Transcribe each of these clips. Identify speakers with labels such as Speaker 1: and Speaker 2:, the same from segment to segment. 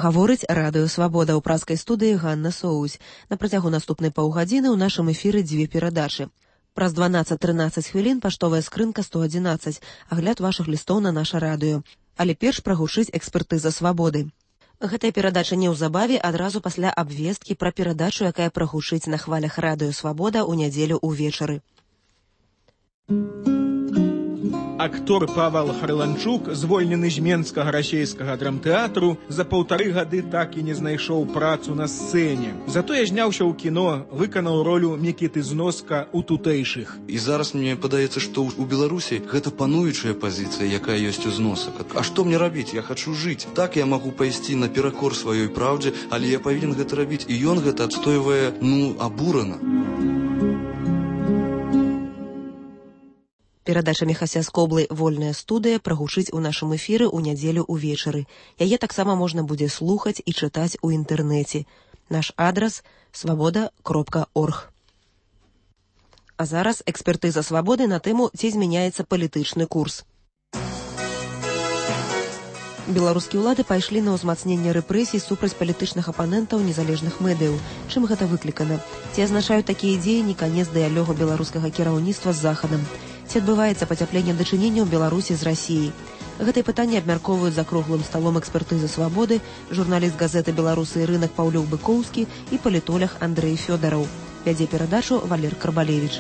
Speaker 1: Гаворыць радыё «Свабода» ў празкай студыі Ганна Соусь. На працягу наступнай паўгадзіны ў нашым эфіры дзве перадачы. Праз 12-13 хвілін паштовая скрынка 111, агляд вашых лістоў на наша радыё. Але перш прагучыць экспертыза «Свабоды». Гэтая перадача неўзабаве адразу пасля абвесткі пра перадачу, якая прагучыць на хвалях радыё «Свабода» ў нядзелю ўвечары.
Speaker 2: Актор Павел Харланчук, звольнены з Менскага расейскага драмтэатру, за 1,5 гады так і не знайшоў працу на сцэне. Затое зняўся ў кіно, выканаў ролю Мікіты Зноска ў тутэйшых.
Speaker 3: І зараз мне падаецца, што ў Беларусі гэта пануючая пазіцыя, якая ёсць у Зносак. А што мне рабіць? Я хачу жыць. Так я магу пайсці наперакор сваёй праўдзе, але я павінен гэта рабіць. І ён гэта адстойвае, абурана.
Speaker 1: Перадача Міхася Скоблы «Вольная студыя» прагучыць у нашым эфіры ў нядзелю ўвечары. Яе таксама можна будзе слухаць і чытаць у інтэрнэце. Наш адрас – swaboda.org. А зараз экспертыза «Свабоды» на тэму «Ці змяняецца палітычны курс». Беларускія ўлады пайшлі на ўзмацненне рэпрэсій супраць палітычных апанентаў незалежных медыяў. Чым гэта выклікана? Ці азначаюць такія дзеянні канец дыялогу беларускага кіраўніцтва з Захадам? Ці адбываецца пацяпленне дачыненняў Беларусі з Расіяй? Гэтыя пытанні абмяркоўваюць за круглым сталом экспертызы «Свабоды» журналіст газеты «Беларусы і рынак» Паўлюк Быкоўскі і палітолог Андрэй Фёдараў. Вядзе перадачу Валер Карбалевіч.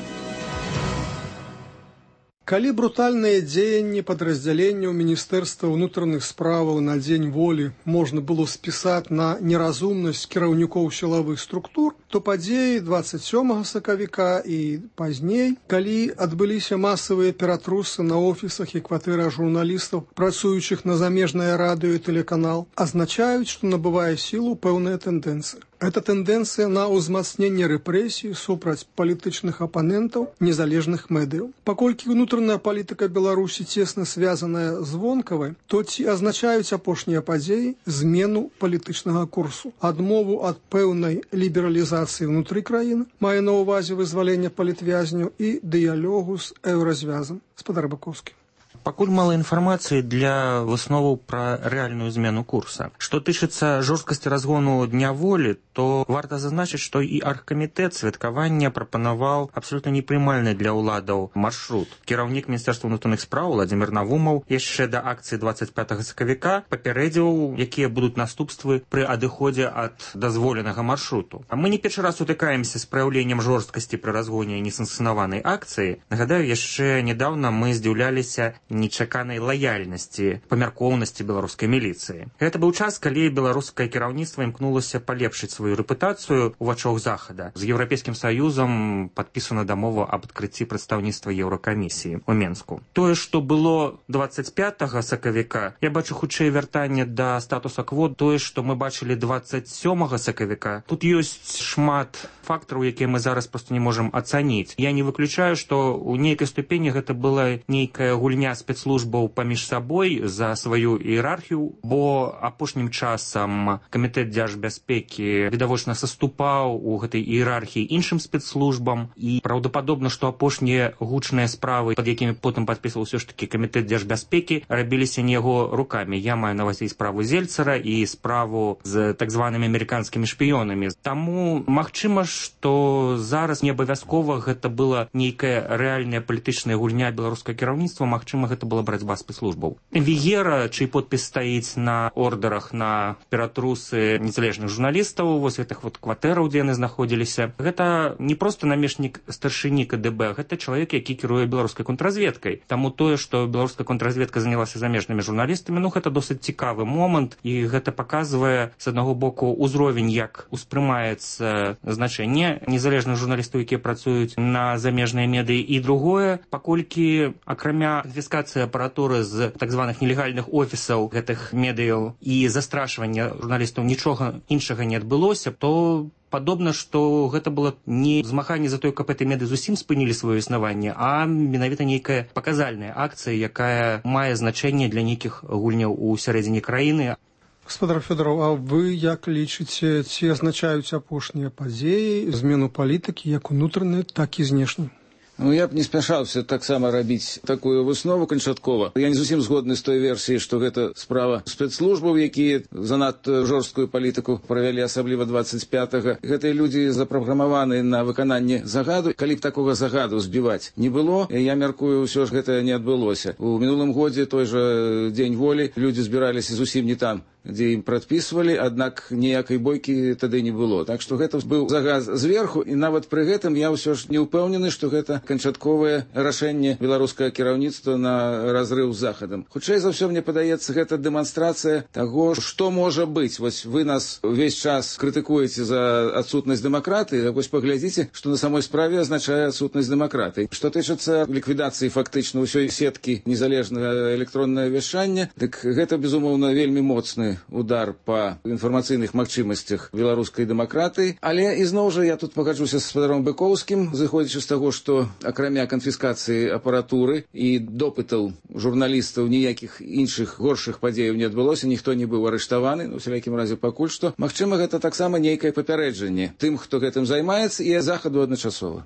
Speaker 4: Калі брутальныя дзеянні падраздзяленняў Міністэрства ўнутраных справаў на дзень волі можна было спісаць на неразумнасць кіраўнікоў сілавых структур, то падзеі 27 сакавіка і пазней, калі адбыліся масавыя ператрусы на офісах і кватэрах журналістаў, працуючых на замежнае радыё і тэлеканал, азначаюць, што набывае сілу пэўная тэндэнцыя. Гэта тэндэнцыя на ўзмацненне рэпрэсій супраць палітычных апанентаў незалежных медыяў. Паколькі ўнутраная палітыка Беларусі цесна звязаная з вонкавай, то ці азначаюць апошнія падзеі змену палітычнага курсу, адмову ад пэўнай лібералізацыі ўнутры краіны, мае на ўвазе вызваленне палітвязняў і дыялогу з еўразвязам. Спадар Бакоўскі.
Speaker 5: Пакуль мала інфармацыі для высноваў пра рэальную змену курса. Што тычыцца жорсткасці разгону Дня волі, то варта зазначыць, што і аргкамітэт святкавання прапанаваў абсалютна непрымальны для ўладаў маршрут. Кіраўнік Міністэрства ўнутраных спраў Владзімір Навумаў яшчэ да акцыі 25 сакавіка папярэдзіў, якія будуць наступствы пры адыходзе ад дазволенага маршруту. А мы не першы раз сутыкаемся з праяўленнем жорсткасці пры разгоне несанкцыянаванай акцыі. Нагадаю, яшчэ нядаўна мы здзіўляліся нечаканай лаяльнасці, памяркоўнасці беларускай міліцыі. Гэта быў час, калі беларускае кіраўніцтва імкнулася палепшыць сваю рэпутацыю ў вачах Захада. З Еўрапейскім Саюзам падпісана дамова аб адкрыцці прадстаўніцтва Еўракамісіі ў Менску. Тое, што было 25 сакавіка, я бачу хутчэй вяртанне да статуса кво. Тое, што мы бачылі 27 сакавіка, тут ёсць шмат фактараў, якія мы зараз проста не можам ацаніць. Я не выключаю, што ў нейкай ступені гэта была нейкая гульня спецслужбаў паміж сабой за сваю іерархію, бо апошнім часам камітэт дзяржбяспекі відавочна саступаў у гэтай іерархіі іншым спецслужбам, і праўдападобна, што апошнія гучныя справы, пад якімі потым падпісваў ўсё ж такі камітэт дзяржбяспекі, рабіліся не яго рукамі. Я маю на ўвазе і справу Зельцара, і справу з так званымі амерыканскімі шпіёнамі. Таму магчыма, што зараз не абавязкова гэта была нейкая рэальная палітычная гульня беларускага кіраўніцтва, магчыма, гэта была барацьба спецслужбаў. Віера, чый подпіс стаіць на ордерах на ператрусы незалежных журналістаў, вось гэтых кватэраў, дзе яны знаходзіліся, гэта не проста намешнік старшыні КДБ, гэта чалавек, які кіруе беларускай контрразведкай. Таму тое, што беларуская контрразведка занялася замежнымі журналістамі, гэта досыць цікавы момант, і гэта паказвае, з аднаго боку, узровень, як успрымаецца значэнне незалежных журналістаў, якія працуюць на замежныя медыі, і другое, паколькі акрамя канфіскацыі апаратуры з так званых нелегальных офісаў гэтых медыяў і застрашвання журналістаў нічога іншага не адбылося, то падобна, што гэта было не змаганне за тое, каб гэтыя медыі зусім спынілі сваё існаванне, а менавіта нейкая паказальная акцыя, якая мае значэнне для нейкіх гульняў у сярэдзіне краіны.
Speaker 4: Гаспадар Фёдараў, а вы як лічыце, ці азначаюць апошнія падзеі змену палітыкі як унутранай, так і знешняй?
Speaker 6: Я б не спяшаўся таксама рабіць такую выснову канчаткова. Я не зусім згодны з той версіі, што гэта справа спецслужбаў, якія занадта жорсткую палітыку правялі, асабліва 25-га. Гэтыя людзі запраграмаваны на выкананне загаду. Калі б такога загаду збіваць не было, я мяркую, ўсё ж гэта не адбылося. У мінулым годзе той жа Дзень волі людзі збіраліся зусім не там, дзе ім прадпісвалі, аднак ніякай бойкі тады не было. Так што гэта быў загад зверху, і нават пры гэтым я ўсё ж не ўпэўнены, што гэта канчатковае рашэнне беларускага кіраўніцтва на разрыў з захадам. Хутчэй за ўсё, мне падаецца, гэта дэманстрацыя таго, што можа быць. Вось вы нас увесь час крытыкуеце за адсутнасць дэмакратыі, так вось паглядзіце, што на самой справе азначае адсутнасць дэмакратыі. Што тычыцца ліквідацыі фактычна ўсёй сеткі незалежнага электроннага вяшчання, дык гэта, безумоўна, вельмі моцны удар па інфармацыйных магчымасцях беларускай дэмакратыі. Але ізноў жа я тут пагаджуся з спадаром Быкоўскім, зыходзячы з таго, што акрамя канфіскацыі апаратуры і допытаў журналістаў ніякіх іншых горшых падзеяў не адбылося, ніхто не быў арыштаваны, у всялякім разе пакуль што. Магчыма, гэта таксама нейкае папярэджанне тым, хто гэтым займаецца, і захаду адначасова.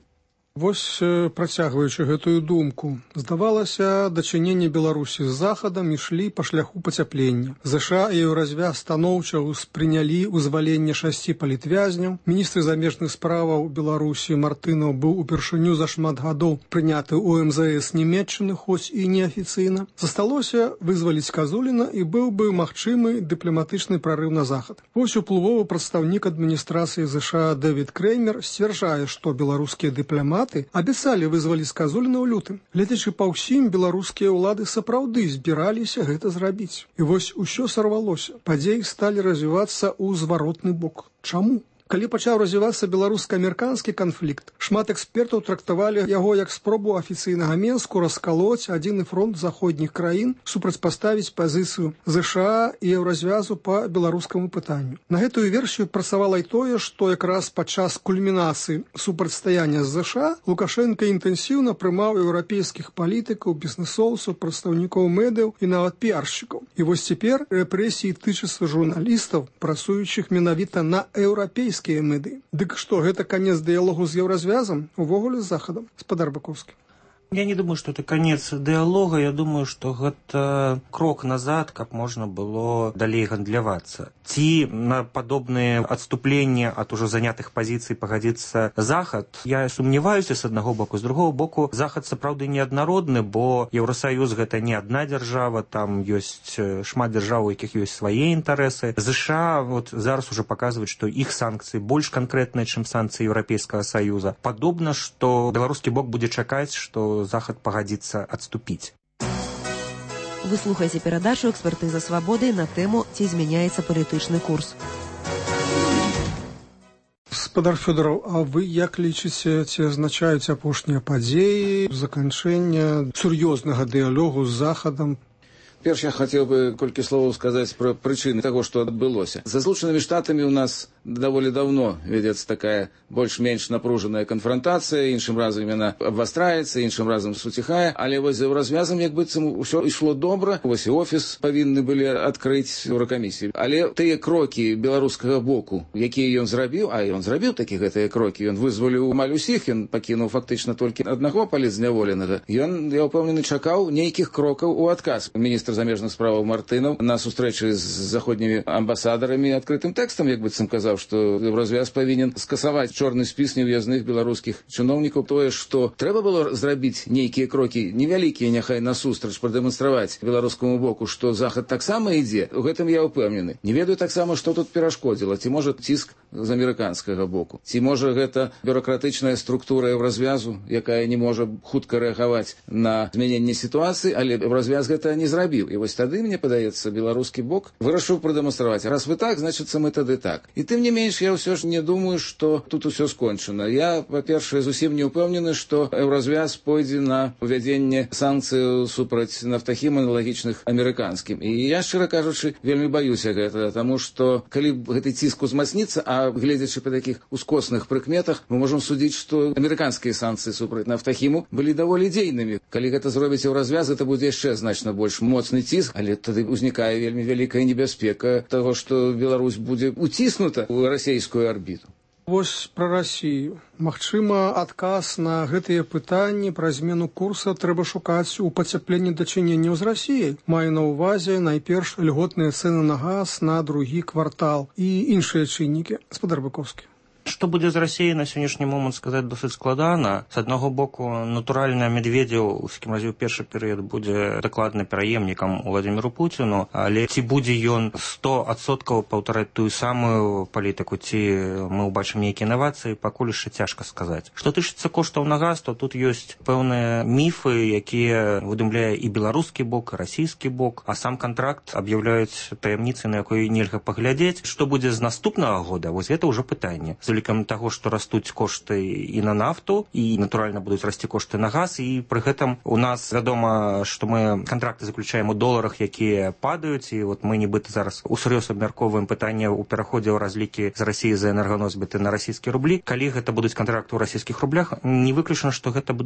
Speaker 4: Вось, працягваючы гэтую думку, здавалася, дачыненне Беларусі з захадам ішлі па шляху пацяплення. ЗША і Еўразвяз станоўча ўспрынялі вызваленне 6 палітвязняў. Міністр замежных справаў Беларусі Мартынаў быў упершыню за шмат гадоў прыняты ў МЗС Нямецчыны, хоць і неафіцыйна. Засталося вызваліць Казуліна, і быў бы магчымы дыпламатычны прарыў на захад. Вось уплывовы прадстаўнік адміністрацыі ЗША Дэвід Креймер сцвярджае, што беларускія дыпламаты абяцалі вызваліць Казуліна ў лютым. Гледзячы па ўсім, беларускія ўлады сапраўды збіраліся гэта зрабіць. І вось усё сарвалося. Падзеі сталі развівацца ў зваротны бок. Чаму? Калі пачаў развівацца беларуска-амерыканскі канфлікт, шмат экспертаў трактавалі яго як спробу афіцыйнага Менску раскалоць адзіны фронт заходніх краін, супрацьпаставіць пазіцыю ЗША і Еўразвязу па беларускаму пытанню. На гэтую версію працавала і тое, што якраз падчас кульмінацыі супрацьстаяння з ЗША Лукашенка інтэнсіўна прымаў еўрапейскіх палітыкаў, бізнесоўцаў, прадстаўнікоў медыяў і нават піаршчыкаў. І вось цяпер рэпрэсіі тычацца журналістаў, працуючых менавіта на еўрапейскіх меды. Дык што, гэта канец дыялогу з Еўразвязам? Увогуле з захадам? Спадар Быкоўскі.
Speaker 5: Я не думаю, что это конец диалога, я думаю, что это крок назад, как можно было далей гандлявацца. Ці на подобные отступления от уже занятых позиций погодится Захад, я сумневаюсь с одного боку. С другого боку, Захад сапраўды неаднародны, бо Еўросоюз гэта не одна держава, там есть шмат держав, у якіх есть свои интересы. США вот зараз уже показывают, что их санкции больше конкретные, чем санкции Европейского Союза. Подобно, что белорусский бок будет чакаць, что Захад пагадзіцца адступіць.
Speaker 1: Вы слухаеце перадачу «Экспертыза свабоды» на тэму «Ці змяняецца палітычны курс».
Speaker 4: Спадар Фёдораў, а вы як лічыце, ці азначаюць апошнія падзеі заканчэння сур'ёзнага дыялогу з Захадам?
Speaker 6: Перш я хотел бы колькі словаў сказаць пра прычыны таго, што адбылося. За Злучанымі Штатамі у нас даволі давно вядзецца такая больш-менш напружаная канфронтацыя, іншым разам яна абвастраецца, іншым разам суціхае, але вось за развязам як быццам усё ішло добра. Вось і офіс павінны былі адкрыць Еўракамісіі. Але тыя крокі беларускага боку, якія ён зрабіў, а ён зрабіў такі гэтыя крокі, ён вызваліў амаль усіх, ён пакінуў фактычна толькі аднаго палітзняволенага. Ён, я ўпэўнены, чакаў нейкіх крокаў у адказ. Міністр замежных справаў Мартынаў на сустрэчы з заходнімі амбасадарамі адкрытым тэкстам, як быццам казаў, што Еўразвяз павінен скасаваць чорны спіс неўязных беларускіх чыноўнікаў. Тое, што трэба было зрабіць нейкія крокі невялікія, няхай насустрач прадэманстраваць беларускаму боку, што Захад таксама ідзе, у гэтым я ўпэўнены. Не ведаю таксама, што тут перашкодзіла, ці можа ціск з амерыканскага боку, ці можа гэта бюракратычная структура Еўразвязу, якая не можа хутка рэагаваць на змяненне сітуацыі, але Еўразвяз гэта не зрабіў. І вось тады, мне падаецца, беларускі бок вырашыў прадэманстраваць. Раз вы так, значыцца мы тады так. І тым не менш, я ўсё ж не думаю, што тут усё скончана. Я, па-першае, зусім не ўпэўнены, што Еўразвяз пойдзе на увядзенне санкцыяў супраць нафтахім аналагічных амерыканскім. І я, шчыра кажучы, вельмі баюся гэтага, таму што калі гэты ціск узмацніцца, а гледзячы па такіх ускосных прыкметах, мы можам судзіць, што амерыканскія санкцыі супраць нафтахіму былі даволі дзейнымі. Калі гэта зробіць Еўразвяз, гэта будзе яшчэ значна больш моцны ціск, але тады ўзнікае вельмі вялікая небяспека таго, што Беларусь будзе уціснута ў расейскую арбіту.
Speaker 4: Вось пра Расію. Магчыма, адказ на гэтыя пытанні пра змену курса трэба шукаць у пацяпленні дачыненняў з Расіяй. Маю на ўвазе найперш льготныя цэны на газ на другі квартал і іншыя чыннікі. Гаспадар Быковскі.
Speaker 5: Што будзе з Расіяй на сённяшні момант сказаць досыць складана. З аднаго боку, натуральна, Медведзеў, у скім разе ў першы перыяд будзе дакладна пераемнікам Владзіміру Пуціну, але ці будзе ён 100% паўтараць тую самую палітыку, ці мы ўбачым нейкія інавацыі, пакуль яшчэ цяжка сказаць. Што тычыцца коштаў на газ, то тут ёсць пэўныя міфы, якія выдумляе і беларускі бок, і расійскі бок, а сам кантракт аб'яўляюць таямніцай, на якой нельга паглядзець. Што будзе з наступнага года, вось гэта ўжо пытанне. Улікам таго, што растуць кошты і на нафту, і, натуральна, будуць расці кошты на газ, і пры гэтым у нас вядома, што мы кантракты заключаем у доларах, якія падаюць, і вот мы нібыта зараз усур'ёз абмяркоўваем пытанне ў пераходзе ў разлікі з Расіі за энерганосьбіты на расійскія рублі. Калі гэта будуць кантракты ў расійскіх рублях, не выключана, што гэта будуць